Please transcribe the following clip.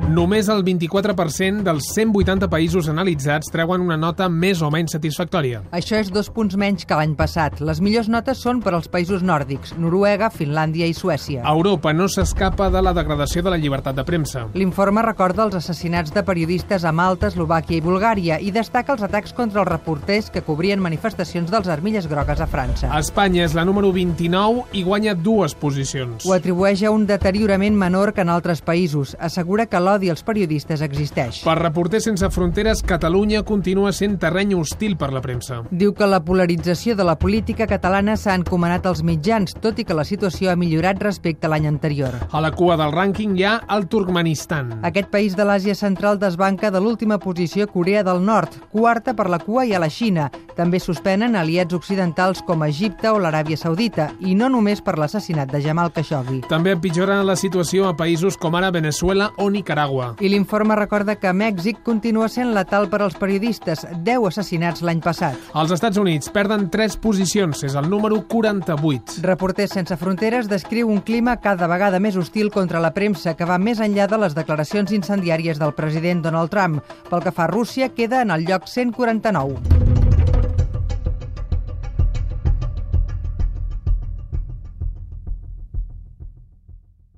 Només el 24% dels 180 països analitzats treuen una nota més o menys satisfactòria. Això és 2 punts menys que l'any passat. Les millors notes són per als països nòrdics, Noruega, Finlàndia i Suècia. Europa no s'escapa de la degradació de la llibertat de premsa. L'informe recorda els assassinats de periodistes a Malta, Eslovàquia i Bulgària i destaca els atacs contra els reporters que cobrien manifestacions dels Armilles Grogues a França. Espanya és la número 29 i guanya 2 posicions. Ho atribueix a un deteriorament menor que en altres països. Assegura que l'odi als periodistes existeix. Per Reporters Sense Fronteres, Catalunya continua sent terreny hostil per la premsa. Diu que la polarització de la política catalana s'ha encomanat als mitjans, tot i que la situació ha millorat respecte a l'any anterior. A la cua del rànquing hi ha el Turkmenistan. Aquest país de l'Àsia Central desbanca de l'última posició Corea del Nord. Quarta per la cua hi ha la Xina. També suspenen aliats occidentals com Egipte o l'Aràbia Saudita, i no només per l'assassinat de Jamal Khashoggi. També empitjora la situació a països com ara Venezuela o Nicaragua. I l'informe recorda que Mèxic continua sent letal per als periodistes, 10 assassinats l'any passat. Els Estats Units perden 3 posicions, és el número 48. Reporters Sense Fronteres descriu un clima cada vegada més hostil contra la premsa que va més enllà de les declaracions incendiàries del president Donald Trump. Pel que fa a Rússia, queda en el lloc 149.